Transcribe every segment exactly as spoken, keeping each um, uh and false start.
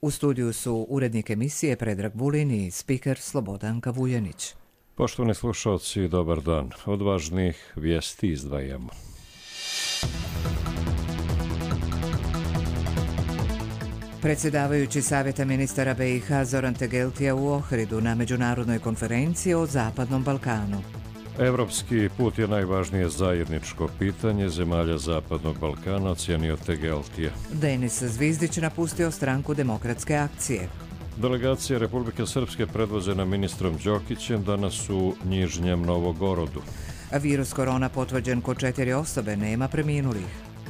U studiju su urednik emisije Predrag Vulin i spiker Slobodanka Vuljanić. Poštovani slušalci, dobar dan. Od važnih vijesti izdvajamo. Predsjedavajući Savjeta ministara B i H Zoran Tegeltija u Ohridu na međunarodnoj konferenciji o Zapadnom Balkanu. Evropski put je najvažnije zajedničko pitanje zemalja Zapadnog Balkana, ocijenio Tegeltija. Denis Zvizdić napustio stranku Demokratske akcije. Delegacija Republike Srpske predvođena ministrom Đokićem danas u Njižnjem Novogorodu. Virus korona potvrđen kod četiri osobe, nema preminulih.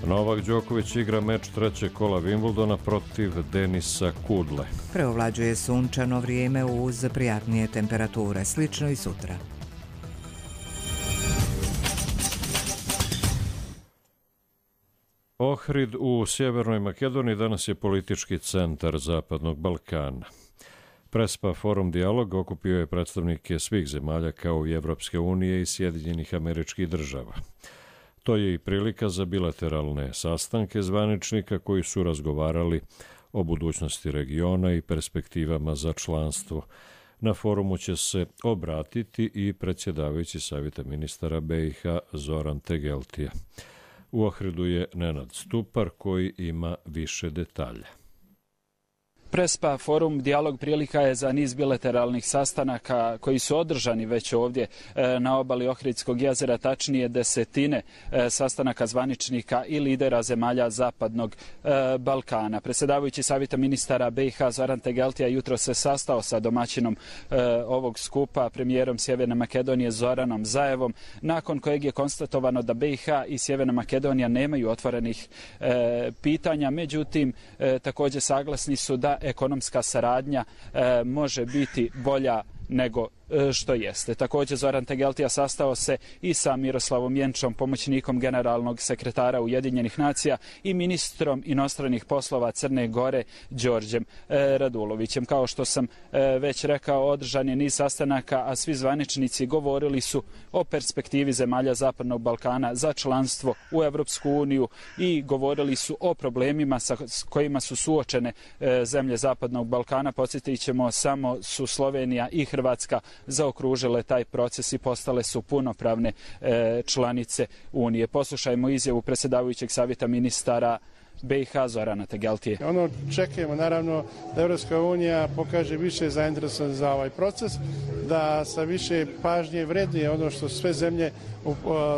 Novak Đoković igra meč trećeg kola Wimbledona protiv Denisa Kudle. Preovlađuje sunčano vrijeme uz prijatnije temperature, slično i sutra. Ohrid u Sjevernoj Makedoniji danas je politički centar Zapadnog Balkana. Prespa Forum Dijalog okupio je predstavnike svih zemalja kao i Evropske unije i Sjedinjenih Američkih Država. To je i prilika za bilateralne sastanke zvaničnika koji su razgovarali o budućnosti regiona i perspektivama za članstvo. Na forumu će se obratiti i predsjedavajući Savjeta ministara B i H Zoran Tegeltija. U Ohridu je Nenad Stupar koji ima više detalja. Prespa Forum Dijalog prilika je za niz bilateralnih sastanaka koji su održani već ovdje na obali Ohridskog jezera, tačnije desetine sastanaka zvaničnika i lidera zemalja Zapadnog Balkana. Predsjedavajući Savjeta ministara B i H Zoran Tegeltija jutro se sastao sa domaćinom ovog skupa, premijerom Sjeverne Makedonije Zoranom Zaevom, nakon kojeg je konstatovano da B i H i Sjeverna Makedonija nemaju otvorenih pitanja, međutim također saglasni su da ekonomska saradnja e, može biti bolja nego što jeste. Također Zoran Tegeltija sastao se i sa Miroslavom Jenčom, pomoćnikom generalnog sekretara Ujedinjenih nacija i ministrom inostranih poslova Crne Gore Đorđem Radulovićem. Kao što sam već rekao, održan je niz sastanaka, a svi zvaničnici govorili su o perspektivi zemalja Zapadnog Balkana za članstvo u Evropsku uniju i govorili su o problemima sa kojima su suočene zemlje Zapadnog Balkana. Podsjetit ćemo, samo su Slovenija i Hrvatska zaokružile taj proces i postale su punopravne e, članice Unije. Poslušajmo izjavu predsjedavajućeg Savjeta ministara B i H Zorana Tegeltije. Ono čekamo naravno da Evropska unija pokaže više zainteresovan za ovaj proces, da sa više pažnje vrednije ono što sve zemlje u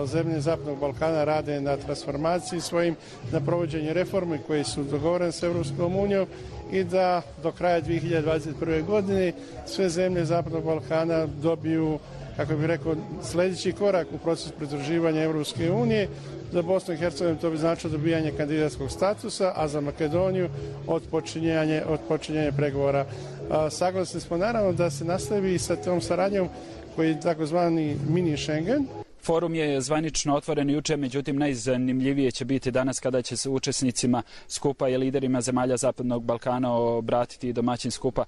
zemlje Zapadnog Balkana rade na transformaciji svojim, na provođenju reformi koji su dogovorene s Evropskom unijom i da do kraja dvije hiljade dvadeset prve. godine sve zemlje Zapadnog Balkana dobiju, kako bih rekao, sljedeći korak u procesu pridruživanja Evropske unije. Za Bosnu i Hercegovinu to bi značilo dobijanje kandidatskog statusa, a za Makedoniju odpočinjanje, odpočinjanje pregovora. A, saglasni smo naravno da se nastavi sa tom saradnjom koji je takozvani mini Schengen. Forum je zvanično otvoren juče, međutim najzanimljivije će biti danas kada će se učesnicima skupa i liderima zemalja Zapadnog Balkana obratiti domaćin skupa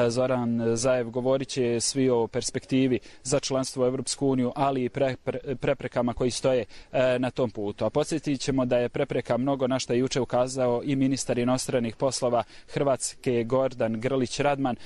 Zoran Zaev. Govorit će svi o perspektivi za članstvo u Evropsku uniju, ali i pre, pre, preprekama koji stoje na tom putu. A podsjetit ćemo da je prepreka mnogo, na što je juče ukazao i ministar inostranih poslova Hrvatske Gordan Grlić Radman,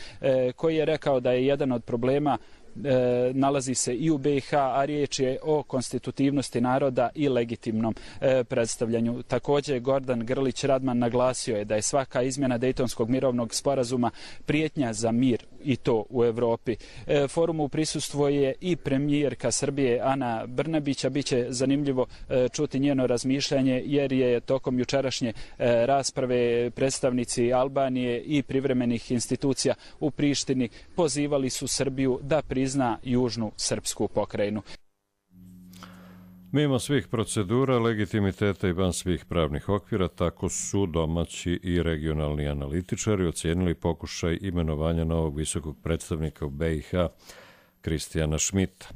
koji je rekao da je jedan od problema E, nalazi se i u B i H, a riječ je o konstitutivnosti naroda i legitimnom e, predstavljanju. Također Gordan Grlić Radman naglasio je da je svaka izmjena Dejtonskog mirovnog sporazuma prijetnja za mir i to u Europi. E, forumu prisustvuje i premijerka Srbije Ana Brnabić, a bit će zanimljivo e, čuti njeno razmišljanje jer je tokom jučerašnje e, rasprave predstavnici Albanije i privremenih institucija u Prištini pozivali su Srbiju da prizna južnu srpsku pokrajinu. Mimo svih procedura, legitimiteta i van svih pravnih okvira, tako su domaći i regionalni analitičari ocijenili pokušaj imenovanja novog visokog predstavnika u B i H Kristijana Šmita.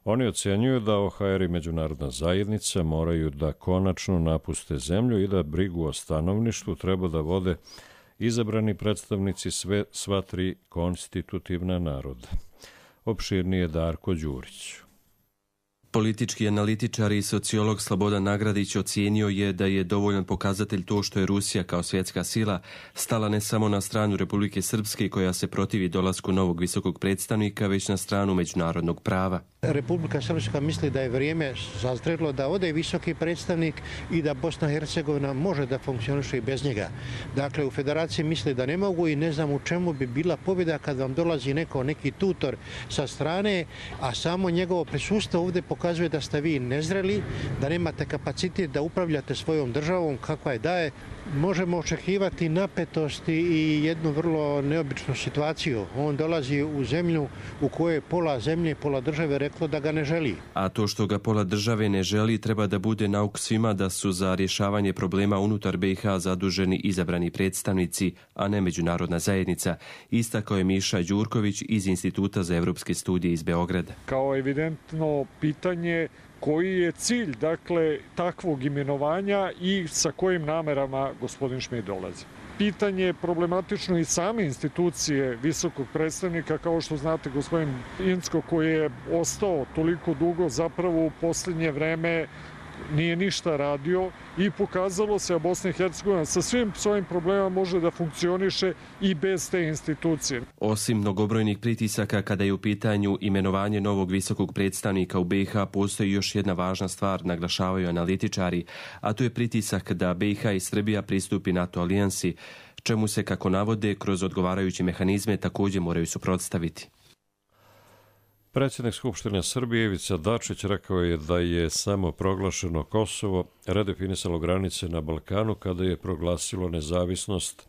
Oni ocjenjuju da O H R i međunarodna zajednica moraju da konačno napuste zemlju i da brigu o stanovništvu treba da vode izabrani predstavnici sve, sva tri konstitutivna naroda. Opširnije Darko Đurić. Politički analitičar i sociolog Slobodan Nagradić ocijenio je da je dovoljan pokazatelj to što je Rusija kao svjetska sila stala ne samo na stranu Republike Srpske koja se protivi dolasku novog visokog predstavnika, već na stranu međunarodnog prava. Republika Srpska misli da je vrijeme sazrelo da ode visoki predstavnik i da Bosna i Hercegovina može da funkcioniše i bez njega. Dakle, u federaciji misli da ne mogu i ne znam u čemu bi bila pobjeda kad vam dolazi neko, neki tutor sa strane, a samo njegovo prisustvo ovdje pokazuje da ste vi nezreli, da nemate kapacitet da upravljate svojom državom kakva je daje. Možemo očekivati napetosti i jednu vrlo neobičnu situaciju. On dolazi u zemlju u kojoj pola zemlje, pola države reklo da ga ne želi. A to što ga pola države ne želi treba da bude nauk svima da su za rješavanje problema unutar B i H zaduženi izabrani predstavnici, a ne međunarodna zajednica, istakao je Miša Đurković iz Instituta za evropske studije iz Beograda. Kao evidentno pitanje koji je cilj, dakle, takvog imenovanja i sa kojim namerama gospodin Šmit dolazi. Pitanje je problematično i same institucije visokog predstavnika, kao što znate, gospodin Incko koji je ostao toliko dugo, zapravo u posljednje vreme nije ništa radio i pokazalo se, a Bosna i Hercegovina sa svim svojim problemama može da funkcioniše i bez te institucije. Osim mnogobrojnih pritisaka kada je u pitanju imenovanje novog visokog predstavnika u B i H, postoji još jedna važna stvar, naglašavaju analitičari, a to je pritisak da B i H i Srbija pristupi NATO alijansi, čemu se, kako navode, kroz odgovarajuće mehanizme također moraju suprotstaviti. Predsjednik Skupštine Srbije Ivica Dačić rekao je da je samo proglašeno Kosovo redefinisalo granice na Balkanu kada je proglasilo nezavisnost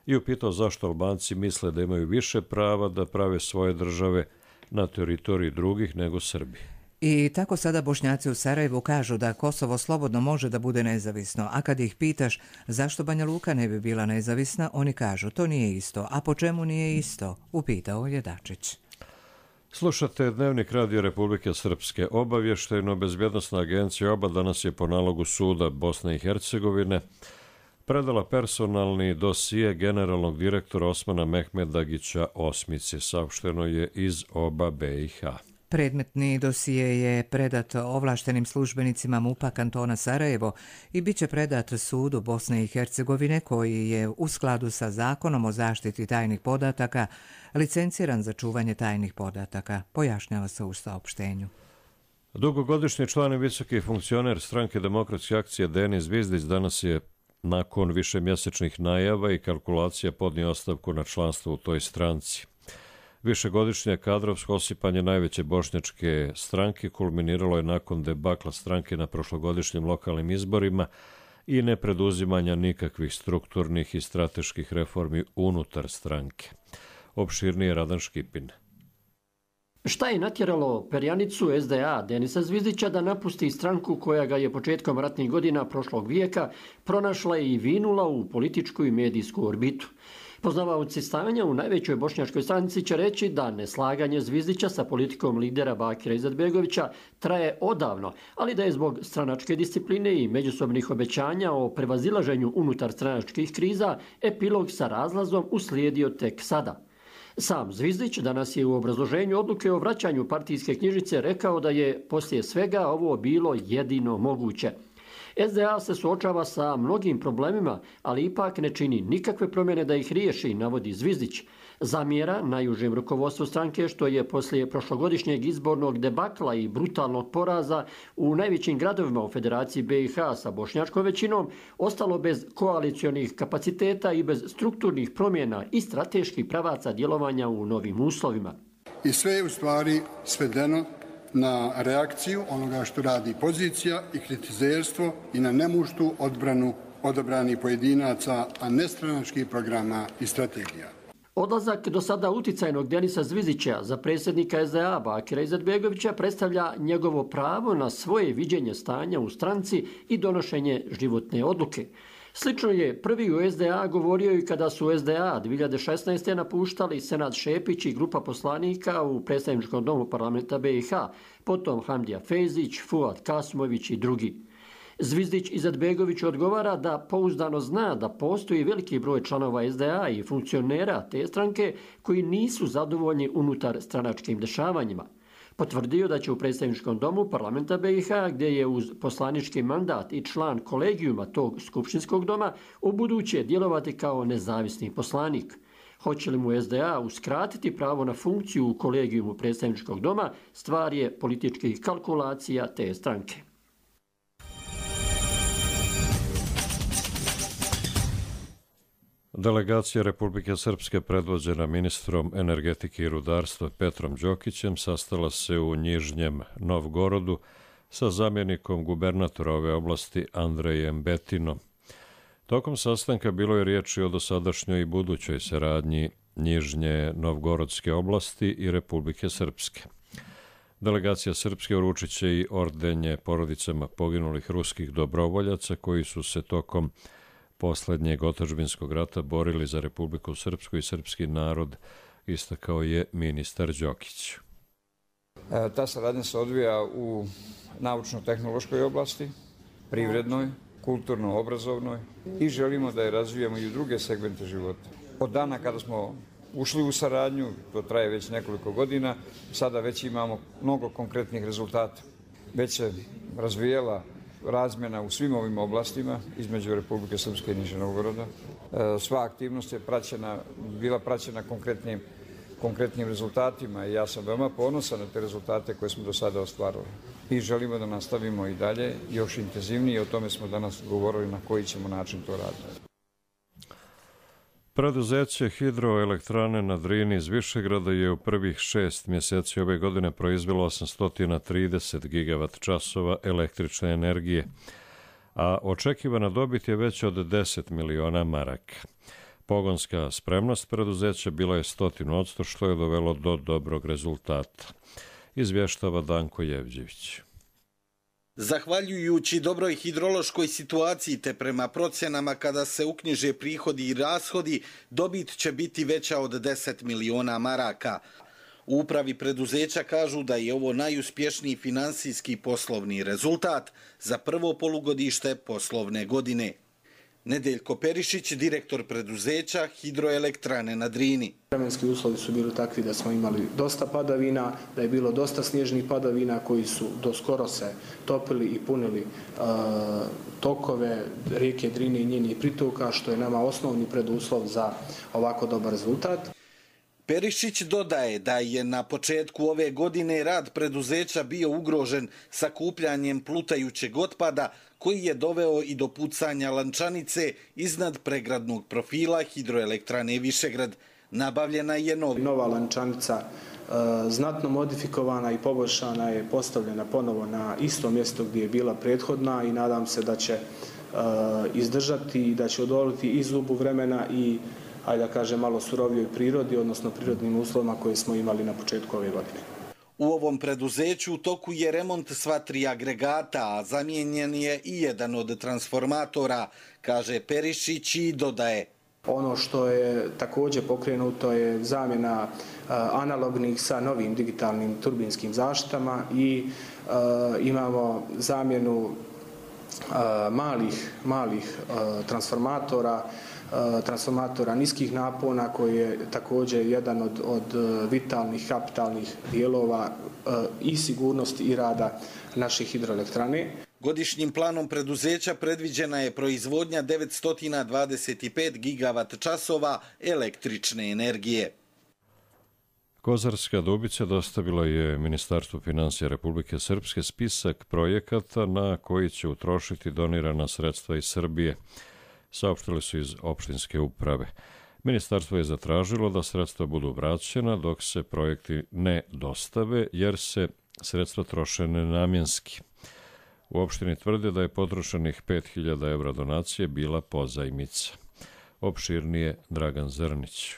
i upitao zašto Albanci misle da imaju više prava da prave svoje države na teritoriji drugih nego Srbi. I tako sada Bošnjaci u Sarajevu kažu da Kosovo slobodno može da bude nezavisno, a kad ih pitaš zašto Banja Luka ne bi bila nezavisna, oni kažu to nije isto. A po čemu nije isto? Upitao je Dačić. Slušate Dnevnik Radio Republike Srpske. Obavještajno-bezbjednosna agencija OBA danas je po nalogu suda Bosne i Hercegovine predala personalni dosije generalnog direktora Osmana Mehmedagića Osmice. Saopšteno je iz OBA B i H. Predmetni dosije je predat ovlaštenim službenicima MUP-a kantona Sarajevo i bit će predat sudu Bosne i Hercegovine koji je u skladu sa zakonom o zaštiti tajnih podataka licenciran za čuvanje tajnih podataka, pojašnjava se u saopštenju. Dugogodišnji član i visoki funkcioner Stranke demokratske akcije Denis Zvizdić danas je nakon višemjesečnih najava i kalkulacija podnio ostavku na članstvo u toj stranci. Višegodišnje kadrovsko osipanje najveće bošnjačke stranke kulminiralo je nakon debakla stranke na prošlogodišnjim lokalnim izborima i nepreduzimanja nikakvih strukturnih i strateških reformi unutar stranke. Opširnije Radan Škipin. Šta je natjeralo perjanicu S D A Denisa Zvizdića da napusti stranku koja ga je početkom ratnih godina prošlog vijeka pronašla i vinula u političku i medijsku orbitu? Poznavaoci stanja u najvećoj bošnjačkoj stranci će reći da neslaganje Zvizdića sa politikom lidera Bakira Izetbegovića traje odavno, ali da je zbog stranačke discipline i međusobnih obećanja o prevazilaženju unutar stranačkih kriza epilog sa razlazom uslijedio tek sada. Sam Zvizdić danas je u obrazloženju odluke o vraćanju partijske knjižice rekao da je poslije svega ovo bilo jedino moguće. S D A se suočava sa mnogim problemima, ali ipak ne čini nikakve promjene da ih riješi, navodi Zvizdić. Zamjera najužem rukovodstvu stranke što je poslije prošlogodišnjeg izbornog debakla i brutalnog poraza u najvećim gradovima u Federaciji B i H sa bošnjačkom većinom ostalo bez koalicionih kapaciteta i bez strukturnih promjena i strateških pravaca djelovanja u novim uslovima. I sve je u stvari svedeno na reakciju onoga što radi pozicija i kritizerstvo i na nemuštu odbranu odabranih pojedinaca, a ne stranačkih programa i strategija. Odlazak do sada uticajnog Denisa Zvizdića za predsjednika S D A Bakira Izetbegovića predstavlja njegovo pravo na svoje viđenje stanja u stranci i donošenje životne odluke. Slično je prvi u S D A govorio i kada su S D A dvije hiljade šesnaeste. napuštali Senad Šepić i grupa poslanika u predstavničkom domu parlamenta B i H, potom Hamdija Fejzić, Fuad Kasmović i drugi. Zvizdić Izetbegović odgovara da pouzdano zna da postoji veliki broj članova S D A i funkcionera te stranke koji nisu zadovoljni unutar stranačkim dešavanjima. potvrdio da će u predstavničkom domu parlamenta B i H, gdje je uz poslanički mandat i član kolegijuma tog skupštinskog doma, ubuduće djelovati kao nezavisni poslanik. Hoće li mu S D A uskratiti pravo na funkciju u kolegijumu predstavničkog doma, stvar je političkih kalkulacija te stranke. Delegacija Republike Srpske predvođena ministrom energetike i rudarstva Petrom Đokićem sastala se u Nižnjem Novgorodu sa zamjenikom gubernatora ove oblasti Andrejem Betinom. Tokom sastanka bilo je riječi o dosadašnjoj i budućoj saradnji Nižnje Novgorodske oblasti i Republike Srpske. Delegacija Srpske uručit će i ordenje porodicama poginulih ruskih dobrovoljaca koji su se tokom posljednjeg otadžbinskog rata borili za Republiku Srpsku i srpski narod, istakao je ministar Đokić. Ta saradnja se odvija u naučno-tehnološkoj oblasti, privrednoj, kulturno-obrazovnoj i želimo da je razvijamo i u druge segmente života. Od dana kada smo ušli u saradnju, to traje već nekoliko godina, sada već imamo mnogo konkretnih rezultata. Već se razvijela razmjena u svim ovim oblastima između Republike Srpske i Nižnjeg Novgoroda. Sva aktivnost je praćena, bila praćena konkretnim, konkretnim rezultatima i ja sam veoma ponosan na te rezultate koje smo do sada ostvarili. I želimo da nastavimo i dalje, još intenzivnije, o tome smo danas govorili na koji ćemo način to raditi. Preduzeće hidroelektrane na Drini iz Višegrada je u prvih šest mjeseci ove godine proizvelo osamsto trideset gigavat časova električne energije, a očekivana dobit je veća od deset miliona maraka. Pogonska spremnost preduzeća bila je stotinu odsto, što je dovelo do dobrog rezultata, izvještava Danko Jevđević. Zahvaljujući dobroj hidrološkoj situaciji te prema procjenama kada se uknjiže prihodi i rashodi, dobit će biti veća od deset miliona maraka. U upravi preduzeća kažu da je ovo najuspješniji finansijski poslovni rezultat za prvo polugodište poslovne godine. Nedeljko Perišić, direktor preduzeća Hidroelektrane na Drini. Vremenski uslovi su bili takvi da smo imali dosta padavina, da je bilo dosta snježnih padavina koji su do skoro se topili i punili uh, tokove rijeke Drine i njenih pritoka, što je nama osnovni preduslov za ovako dobar rezultat. Perišić dodaje da je na početku ove godine rad preduzeća bio ugrožen sakupljanjem plutajućeg otpada koji je doveo i do pucanja lančanice iznad pregradnog profila hidroelektrane Višegrad. Nabavljena je nova. Nova lančanica e, znatno modifikovana i poboljšana je postavljena ponovo na isto mjesto gdje je bila prethodna i nadam se da će e, izdržati i da će odoliti i zubu vremena i ajde da kažem malo surovijoj prirodi, odnosno prirodnim uslovima koje smo imali na početku ove godine. U ovom preduzeću u toku je remont sva tri agregata, a zamijenjen je i jedan od transformatora, kaže Perišić i dodaje. Ono što je također pokrenuto je zamjena analognih sa novim digitalnim turbinskim zaštitama i uh, imamo zamjenu uh, malih, malih uh, transformatora, transformatora niskih napona koji je također jedan od, od vitalnih kapitalnih dijelova i sigurnosti i rada naše hidroelektrane. Godišnjim planom preduzeća predviđena je proizvodnja devetsto dvadeset pet gigavat časova električne energije. Kozarska Dubica dostavila je Ministarstvu financija Republike Srpske spisak projekata na koji će utrošiti donirana sredstva iz Srbije, saopštili su iz opštinske uprave. Ministarstvo je zatražilo da sredstva budu vraćena dok se projekti ne dostave, jer se sredstva troše nenamjenski. U opštini tvrde da je potrošenih pet hiljada evra donacije bila pozajmica. Opširnije Dragan Zrnić.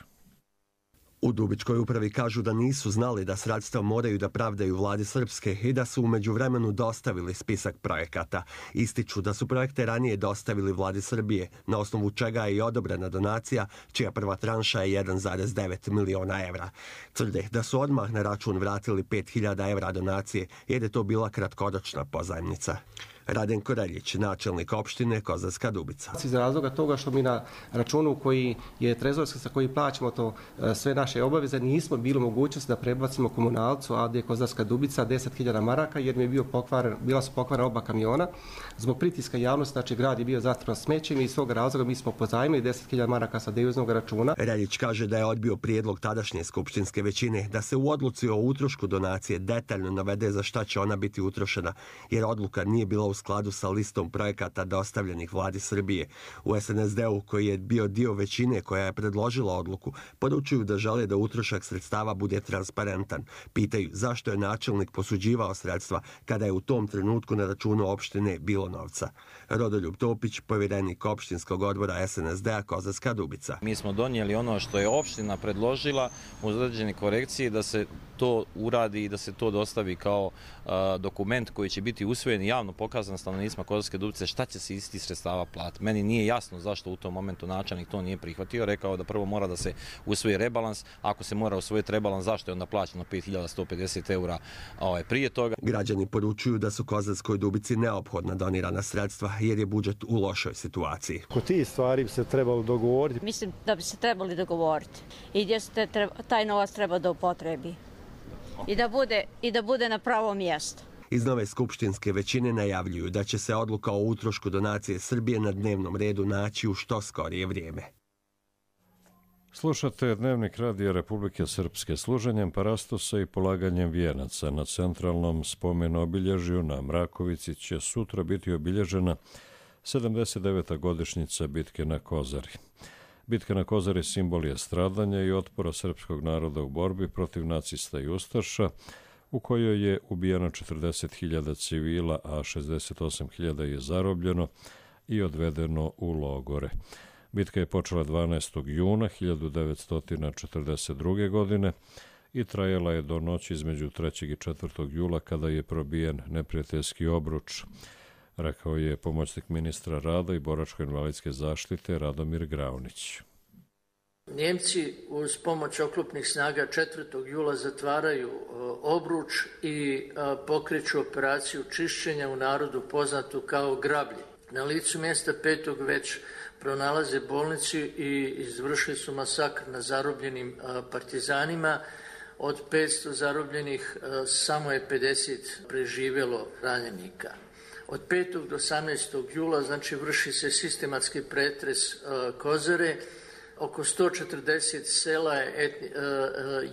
U Dubičkoj upravi kažu da nisu znali da sredstva moraju da pravdaju vladi Srpske i da su u međuvremenu dostavili spisak projekata. Ističu da su projekte ranije dostavili vladi Srbije, na osnovu čega je i odobrena donacija, čija prva tranša je jedan zarez devet miliona evra. Tvrde da su odmah na račun vratili pet hiljada evra donacije, jer je to bila kratkoročna pozajmnica. Radenko Reljić, načelnik opštine Kozarska Dubica. Iz razloga toga što mi na računu koji je trezorski sa koji plaćamo to sve naše obaveze nismo bili mogućnosti da prebacimo komunalcu A D Kozarska Dubica deset hiljada maraka jer mi je bio pokvaren, bila su pokvarena oba kamiona. Zbog pritiska javnosti, znači grad je bio zatvoren smećem i iz svog razloga mi smo pozajmili deset hiljada maraka sa deviznog računa. Reljić kaže da je odbio prijedlog tadašnje skupštinske većine da se u odluci o utrošku donacije detaljno navede za šta će ona biti utrošena, jer odluka nije bila u skladu sa listom projekata dostavljenih vladi Srbije. U S N S D-u, koji je bio dio većine koja je predložila odluku, poručuju da žele da utrošak sredstava bude transparentan. Pitaju zašto je načelnik posuđivao sredstva kada je u tom trenutku na računu opštine bilo novca. Rodoljub Topić, povjerenik opštinskog odbora S N S D-a Kozarska Dubica. Mi smo donijeli ono što je opština predložila uz određene korekcije da se to uradi i da se to dostavi kao a, dokument koji će biti usvojen i javno pokazan stanovnicima Kozarske Dubice šta će se isti sredstava platiti. Meni nije jasno zašto u tom momentu načelnik to nije prihvatio, rekao da prvo mora da se usvoji rebalans, ako se mora usvojiti rebalans, zašto je onda plaćeno pet hiljada sto pedeset eura ovaj, prije toga. Građani poručuju da su Kozarskoj Dubici neophodna donirana sredstva jer je budžet u lošoj situaciji. Kod tih stvari bi se trebalo dogovoriti. Mislim da bi se trebali dogovoriti i gdje se treba, taj novac treba da upotrebi i da bude, i da bude na pravo mjesto. Iz nove skupštinske većine najavljuju da će se odluka o utrošku donacije Srbije na dnevnom redu naći u što skorije vrijeme. Slušate Dnevnik Radija Republike Srpske. Služenjem parastosa i polaganjem vijenaca na centralnom spomenu obilježju na Mrakovici će sutra biti obilježena sedamdeset deveta godišnjica bitke na Kozari. Bitka na Kozari simbol je stradanja i otpora srpskog naroda u borbi protiv nacista i ustaša, u kojoj je ubijeno četrdeset hiljada civila, a šezdeset osam hiljada je zarobljeno i odvedeno u logore. Bitka je počela dvanaestog juna hiljadu devetsto četrdeset druge. godine i trajala je do noći između trećeg i četvrtog jula kada je probijen neprijateljski obruč, rekao je pomoćnik ministra rada i boračko-invalidske zaštite Radomir Graunić. Njemci uz pomoć oklopnih snaga četvrtog jula zatvaraju obruč i pokreću operaciju čišćenja u narodu poznatu kao grablje. Na licu mjesta petog već pronalaze bolnicu i izvršili su masakr na zarobljenim partizanima. Od petsto zarobljenih samo je pedeset preživjelo ranjenika. Od petog do osamnaestog jula znači vrši se sistematski pretres Kozare. Oko sto četrdeset sela je, etni,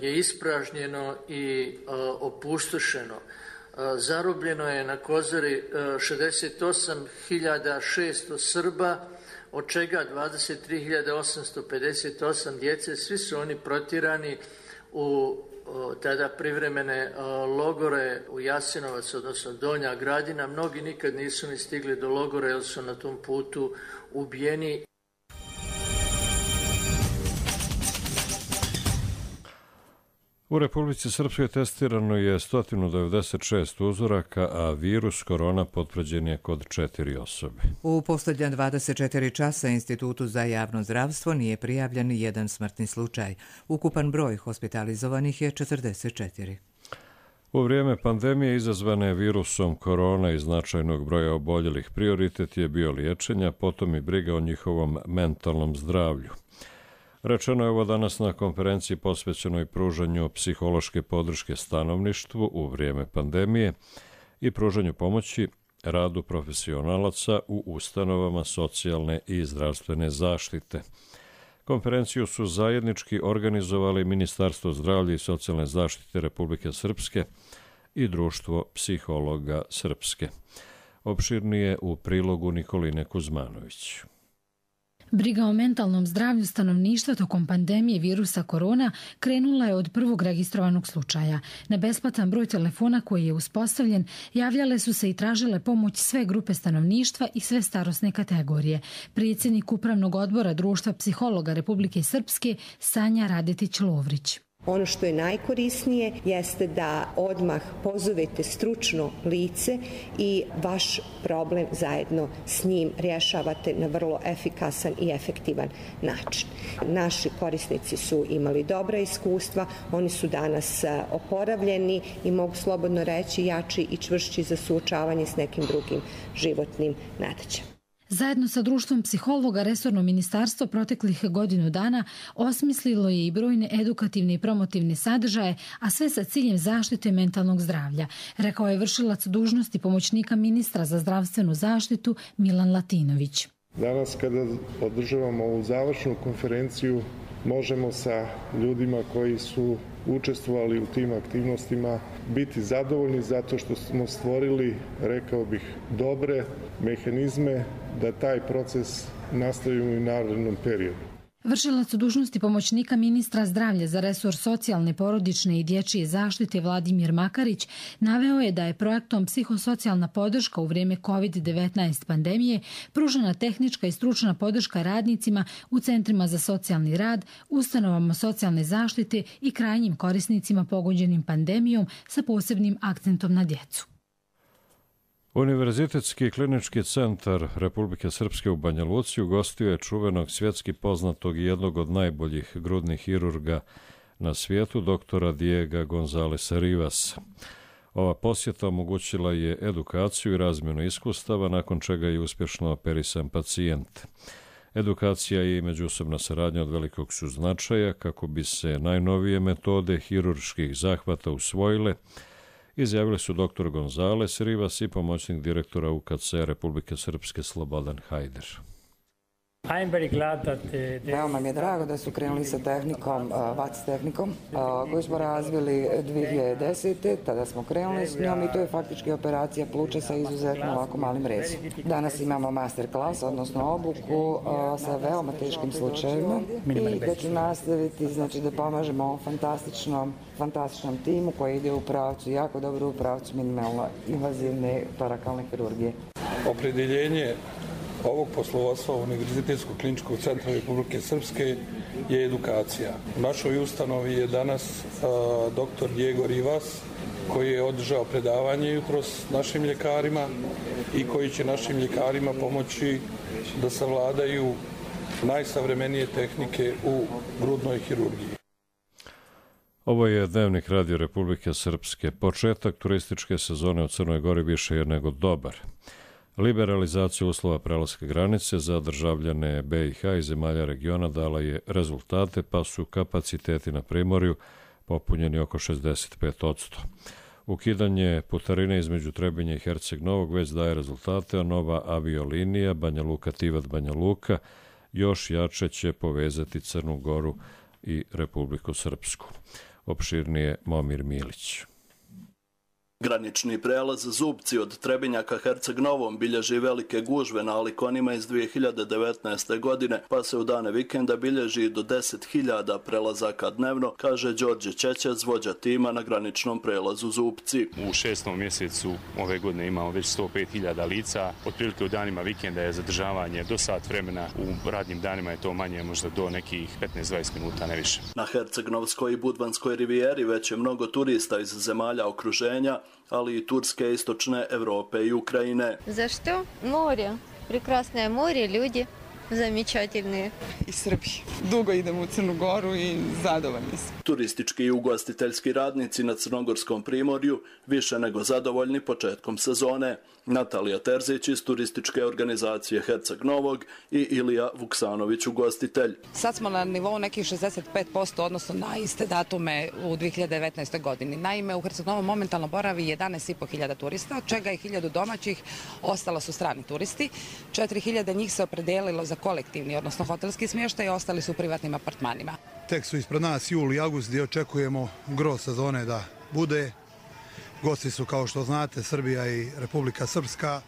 je ispražnjeno i opustošeno. Zarobljeno je na Kozari šezdeset osam hiljada šesto Srba, od čega dvadeset tri hiljade osamsto pedeset osam djece. Svi su oni protjerani u tada privremene logore u Jasenovac, odnosno Donja Gradina. Mnogi nikad nisu ni stigli do logora jer su na tom putu ubijeni. U Republici Srpskoj testirano je sto devedeset šest uzoraka, a virus korona potvrđen je kod četiri osobe. U posljednja dvadeset četiri časa Institutu za javno zdravstvo nije prijavljen jedan smrtni slučaj. Ukupan broj hospitalizovanih je četrdeset četiri. U vrijeme pandemije izazvane virusom korona i značajnog broja oboljelih prioritet je bio liječenja, potom i briga o njihovom mentalnom zdravlju. Rečeno je ovo danas na konferenciji posvećenoj pružanju psihološke podrške stanovništvu u vrijeme pandemije i pružanju pomoći radu profesionalaca u ustanovama socijalne i zdravstvene zaštite. Konferenciju su zajednički organizovali Ministarstvo zdravlja i socijalne zaštite Republike Srpske i Društvo psihologa Srpske. Opširnije u prilogu Nikoline Kuzmanović. Briga o mentalnom zdravlju stanovništva tokom pandemije virusa korona krenula je od prvog registrovanog slučaja. Na besplatan broj telefona koji je uspostavljen javljale su se i tražile pomoć sve grupe stanovništva i sve starosne kategorije. Predsjednik Upravnog odbora Društva psihologa Republike Srpske Sanja Radetić-Lovrić. Ono što je najkorisnije jeste da odmah pozovete stručno lice i vaš problem zajedno s njim rješavate na vrlo efikasan i efektivan način. Naši korisnici su imali dobra iskustva, oni su danas oporavljeni i mogu slobodno reći jači i čvršći za suočavanje s nekim drugim životnim nedaćama. Zajedno sa društvom psihologa resorno ministarstvo proteklih godinu dana osmislilo je i brojne edukativne i promotivne sadržaje, a sve sa ciljem zaštite mentalnog zdravlja, rekao je vršilac dužnosti pomoćnika ministra za zdravstvenu zaštitu Milan Latinović. Danas kada održavamo ovu završnu konferenciju možemo sa ljudima koji su učestvovali u tim aktivnostima biti zadovoljni zato što smo stvorili, rekao bih, dobre mehanizme da taj proces nastavimo i u narednom periodu. Vršilac dužnosti pomoćnika ministra zdravlja za resor socijalne, porodične i dječje zaštite Vladimir Makarić naveo je da je projektom psihosocijalna podrška u vrijeme kovid devetnaest pandemije pružena tehnička i stručna podrška radnicima u centrima za socijalni rad, ustanovama socijalne zaštite i krajnjim korisnicima pogođenim pandemijom sa posebnim akcentom na djecu. Univerzitetski klinički centar Republike Srpske u Banja Luci ugostio je čuvenog svjetski poznatog i jednog od najboljih grudnih hirurga na svijetu, doktora Diega Gonzalesa Rivasa. Ova posjeta omogućila je edukaciju i razmjenu iskustava, nakon čega je uspješno operisan pacijent. Edukacija i međusobna saradnja od velikog su značaja kako bi se najnovije metode hirurških zahvata usvojile, izjavili su doktor Gonzales Rivas i pomoćnik direktora U K C Republike Srpske Slobodan Hajder. Veoma mi je drago da su krenuli sa tehnikom, V A C tehnikom, koju smo razvili dvije hiljade desete. Tada smo krenuli s njom i to je faktički operacija pluća sa izuzetno ovako malim rezom. Danas imamo master klas, odnosno obuku sa veoma teškim slučajevima i da ću nastaviti, znači, da pomažemo ovom fantastičnom, fantastičnom timu koji ide u pravcu, jako dobro u pravcu minimalno invazivne torakalne hirurgije. Opredeljenje ovog poslovodstva Univerzitetskog kliničkog centra Republike Srpske je edukacija. U našoj ustanovi je danas a, doktor Diego Rivas, koji je održao predavanje jutros našim ljekarima i koji će našim ljekarima pomoći da savladaju najsavremenije tehnike u grudnoj hirurgiji. Ovo je Dnevnik Radio Republike Srpske. Početak turističke sezone u Crnoj Gori više je nego dobar. Liberalizacija uslova prelaska granice za državljane B i H i zemalja regiona dala je rezultate, pa su kapaciteti na primorju popunjeni oko šezdeset pet posto. Ukidanje putarine između Trebinja i Herceg Novog već daje rezultate, a nova aviolinija Banja Luka-Tivat Banja Luka još jače će povezati Crnu Goru i Republiku Srpsku. Opširnije Momir Milić. Granični prelaz Zubci od Trebinja ka Herceg Novom bilježi velike gužve na alikonima iz dvije hiljade devetnaeste. godine, pa se u dane vikenda bilježi do deset hiljada prelazaka dnevno, kaže Đorđe Čećec, vođa tima na graničnom prelazu Zubci. U šestom mjesecu ove godine imamo već sto pet hiljada lica, otprilike u danima vikenda je zadržavanje do sat vremena, u radnim danima je to manje, možda do nekih petnaest do dvadeset minuta, ne više. Na Hercegnovskoj i Budvanskoj rivijeri već je mnogo turista iz zemalja okruženja, ali i Turske, Istočne Evrope i Ukrajine. Zašto? More. Прекрасное море, ljudi zamečательные. Iz Srbije. Dugo idemo u Crnu Goru i zadovoljni smo. Turistički i ugostiteljski radnici na Crnogorskom primorju više nego zadovoljni početkom sezone. Natalija Terzić iz turističke organizacije Herceg Novog i Ilija Vuksanović, ugostitelj. Sad smo na nivou nekih šezdeset pet posto, odnosno na iste datume u dvije hiljade devetnaestoj. godini. Naime, u Herceg Novom momentalno boravi jedanaest i po hiljada turista, od čega je hiljadu domaćih, ostalo su strani turisti. četiri hiljade njih se opredelilo za kolektivni, odnosno hotelski smještaj, ostali su u privatnim apartmanima. Tek su ispred nas jul i august gdje očekujemo gro sezone da bude. Gosti su, kao što znate, Srbija i Republika Srpska,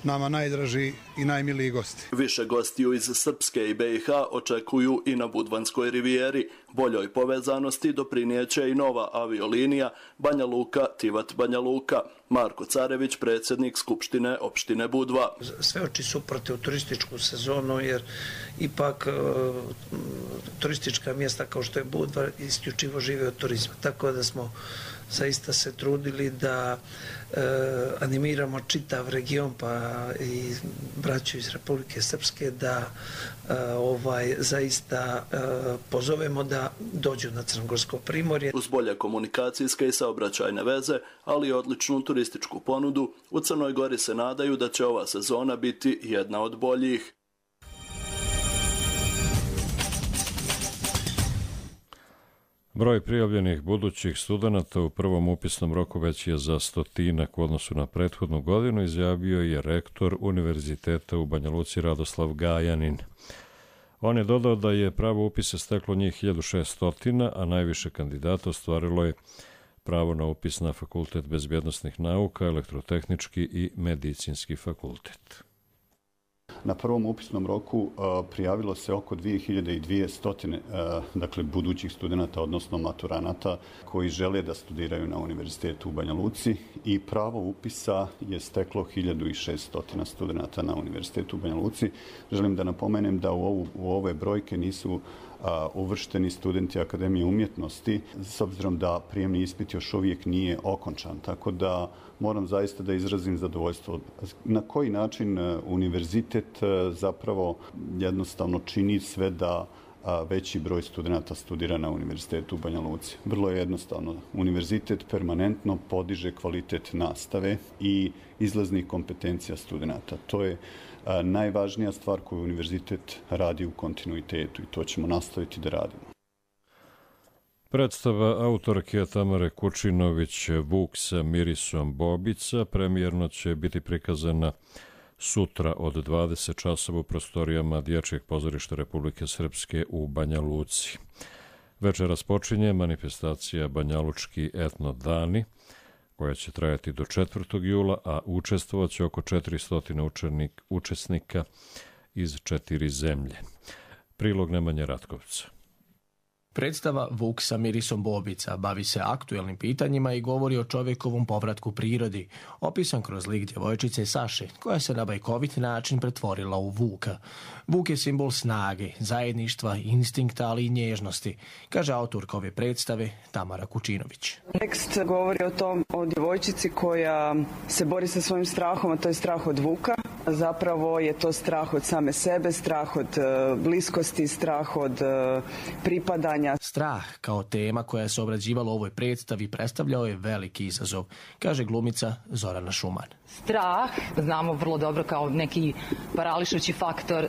nama najdraži i najmiliji gosti. Više gostiju iz Srpske i B i H očekuju i na Budvanskoj rivijeri, Boljoj povezanosti doprinijeće i nova aviolinija Banja Luka-Tivat Banja Luka. Marko Carević, predsjednik Skupštine opštine Budva. Sve oči su protiv turističku sezonu jer ipak e, turistička mjesta kao što je Budva isključivo žive od turizma. Tako da smo zaista se trudili da e, animiramo čitav region pa i braću iz Republike Srpske da e, ovaj zaista e, pozovemo da dođu na Crnogorsko primorje. Uz bolje komunikacijske i saobraćajne veze, ali i odličnu turističku ponudu, u Crnoj Gori se nadaju da će ova sezona biti jedna od boljih. Broj prijavljenih budućih studenata u prvom upisnom roku već je za stotinak u odnosu na prethodnu godinu, izjavio je rektor Univerziteta u Banja Luci Radoslav Gajanin. On je dodao da je pravo upise steklo njih hiljadu šesto, a najviše kandidata ostvarilo je pravo na upis na Fakultet bezbjednosnih nauka, elektrotehnički i medicinski fakultet. Na prvom upisnom roku uh, prijavilo se oko dvije hiljade dvjesto uh, dakle, budućih studenata, odnosno maturanata, koji žele da studiraju na Univerzitetu u Banja Luci i pravo upisa je steklo hiljadu šesto studenata na Univerzitetu u Banja Luci. Želim da napomenem da u, ovu, u ove brojke nisu a, uvršteni studenti Akademije umjetnosti, s obzirom da prijemni ispit još uvijek nije okončan. Tako da moram zaista da izrazim zadovoljstvo. Na koji način univerzitet zapravo jednostavno čini sve da veći broj studenta studira na Univerzitetu u Banja Luci. Vrlo je jednostavno. Univerzitet permanentno podiže kvalitet nastave i izlaznih kompetencija studenta. To je najvažnija stvar koju univerzitet radi u kontinuitetu i to ćemo nastaviti da radimo. Predstava autorke Tamare Kučinović Vuk sa mirisom bobica premijerno će biti prikazana sutra od dvadeset časova u prostorijama Dječjeg pozorišta Republike Srpske u Banja Luci. Večeras počinje manifestacija Banjalučki etno dani, koja će trajati do četvrtog jula, a učestvovaće oko četiristo učenik, učesnika iz četiri zemlje. Prilog Nemanje Ratkovca. Predstava Vuk sa mirisom bobica bavi se aktuelnim pitanjima i govori o čovjekovom povratku prirodi, opisan kroz lik djevojčice Saše, koja se na bajkovit način pretvorila u vuka. Vuk je simbol snage, zajedništva, instinkta, ali i nježnosti, kaže autorka ove predstave Tamara Kučinović. Tekst govori o tom, o djevojčici koja se bori sa svojim strahom, a to je strah od vuka. Zapravo je to strah od same sebe, strah od bliskosti, strah od pripadanja. Strah kao tema koja se obrađivala u ovoj predstavi predstavljao je veliki izazov, kaže glumica Zorana Šuman. Strah, znamo vrlo dobro kao neki parališući faktor,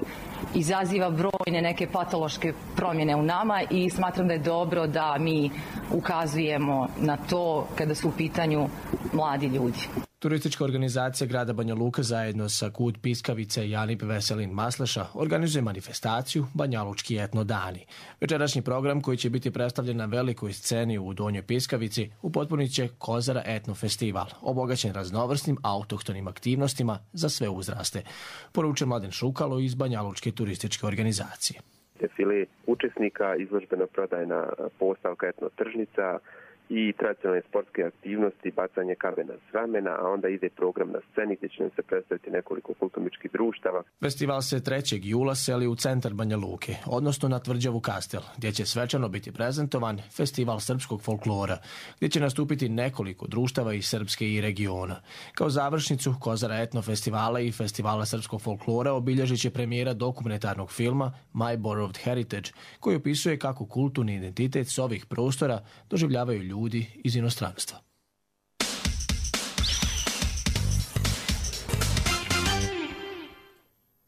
izaziva brojne neke patološke promjene u nama i smatram da je dobro da mi ukazujemo na to kada su u pitanju mladi ljudi. Turistička organizacija grada Banja Luka zajedno sa Kud Piskavice i Janip Veselin Masleša organizuje manifestaciju Banjalučki etno dani. Večerašnji program koji će biti predstavljen na velikoj sceni u Donjoj Piskavici upotpunit će Kozara etno festival, obogaćen raznovrsnim autohtonim aktivnostima za sve uzraste, poručuje Mladen Šukalo iz Banjalučke turističke organizacije. Defile učesnika, izložbeno prodajna postavka etno tržnica i tradicionalne sportske aktivnosti, bacanje kamena s ramena, a onda ide program na sceni gdje će nam se predstaviti nekoliko kulturničkih društava. Festival se trećeg jula seli u centar Banja Luke, odnosno na tvrđavu Kastel, gdje će svečano biti prezentovan Festival srpskog folklora, gdje će nastupiti nekoliko društava iz Srpske i regiona. Kao završnicu Kozara etno festivala i Festivala srpskog folklora obilježit će premijera dokumentarnog filma My Borrowed Heritage, koji opisuje kako kulturni identitet s ovih prostora doživljavaju ljudi ljudi iz inostranstva.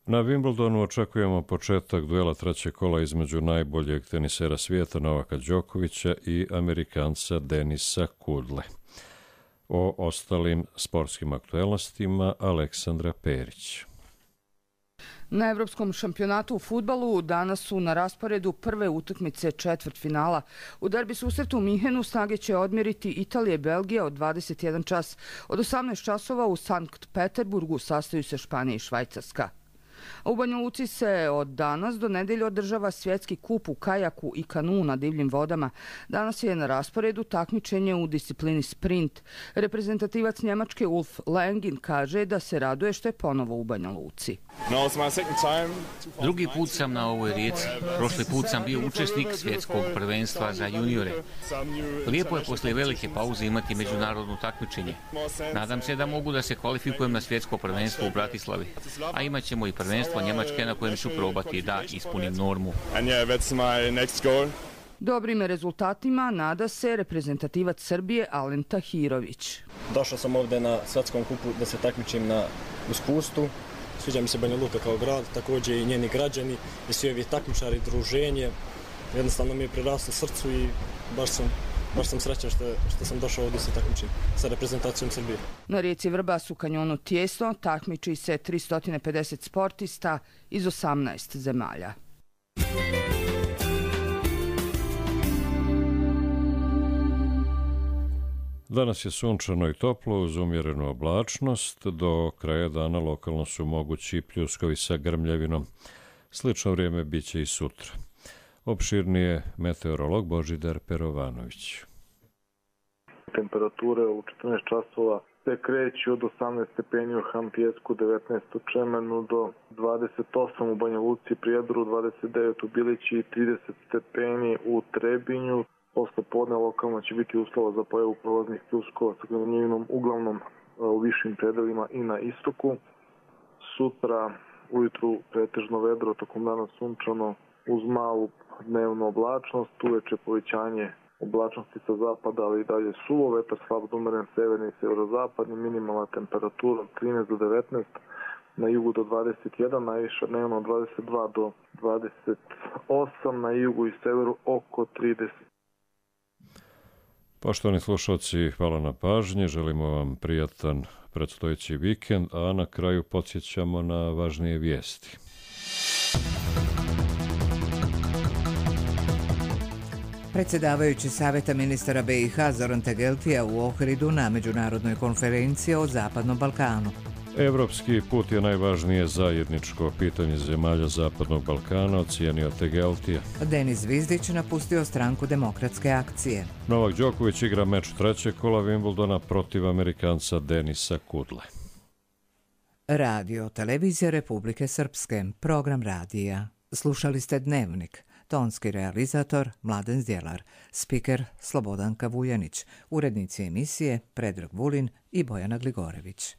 Na Wimbledonu očekujemo početak duela trećeg kola između najboljeg tenisera svijeta Novaka Đokovića i Amerikanca Denisa Kudle. O ostalim sportskim aktuelnostima Aleksandra Perić. Na Evropskom šampionatu u fudbalu danas su na rasporedu prve utakmice četvrtfinala. U derbi susretu u Minhenu snage će odmjeriti Italija i Belgija od dvadeset jedan čas. Od osamnaest časova u Sankt Peterburgu sastaju se Španija i Švajcarska. U Banja Luci se od danas do nedelje održava svjetski kup u kajaku i kanu na divljim vodama. Danas je na rasporedu takmičenje u disciplini sprint. Reprezentativac Njemačke Ulf Lengin kaže da se raduje što je ponovo u Banja Luci. Drugi put sam na ovoj rijeci. Prošli put sam bio učesnik svjetskog prvenstva za juniore. Lijepo je poslije velike pauze imati međunarodno takmičenje. Nadam se da mogu da se kvalifikujem na svjetsko prvenstvo u Bratislavi. A imat ćemo i prvenstvo Njemačke na kojem ću probati da ispunim normu. Dobrim rezultatima nada se reprezentativac Srbije Alen Tahirović. Došao sam ovdje na svjetskom kupu da se takmičim na uspustu. Sviđa mi se Banja Luka kao grad, također i njeni građani i svi ovi takmičari, druženje. Jednostavno mi je priraslo srcu i baš sam, baš sam srećan što, što sam došao ovdje se takmičim sa reprezentacijom Srbije. Na rijeci Vrbas u kanjonu Tijesno takmiči se tristo pedeset sportista iz osamnaest zemalja. Danas je sunčano i toplo uz umjerenu oblačnost. Do kraja dana lokalno su mogući pljuskovi sa grmljavinom. Slično vrijeme bit će i sutra. Opširnije meteorolog Božidar Perovanović. Temperature u četrnaest časova se kreću od osamnaest stepeni u Hampijesku, devetnaest u Čemenu do dvadeset osam u Banja Luci, Prijedoru, dvadeset devet u Bilići i trideset stepeni u Trebinju. Posle podne lokalno će biti uslova za pojavu prolaznih pljuskova sa grmljavinom uglavnom u višim predelima i na istoku. Sutra ujutru pretežno vedro, tokom dana sunčano uz malu dnevnu oblačnost, uveče povećanje oblačnosti sa zapada, ali i dalje suvo, vetar slab od umeren severni i severozapadni, minimalna temperatura od trinaest do devetnaest, na jugu do dvadeset jedan, najviša dnevno od dvadeset dva do dvadeset osam, na jugu i severu oko trideset. Poštovani slušalci, hvala na pažnji, želimo vam prijatan predstojeći vikend, a na kraju podsjećamo na važnije vijesti. Predsjedavajući Saveta ministara be i ha Zoran Tegeltija u Ohridu na međunarodnoj konferenciji o Zapadnom Balkanu. Evropski put je najvažnije zajedničko pitanje zemalja Zapadnog Balkana, ocijenio Tegeltija. Denis Zvizdić napustio stranku Demokratske akcije. Novak Đoković igra meč trećeg kola Wimbledona protiv Amerikanca Denisa Kudle. Radio Televizija Republike Srpske, program radija. Slušali ste Dnevnik. Tonski realizator Mladen Zdjelar, spiker Slobodanka Vujanić, urednici emisije Predrag Vulin i Bojana Gligorević.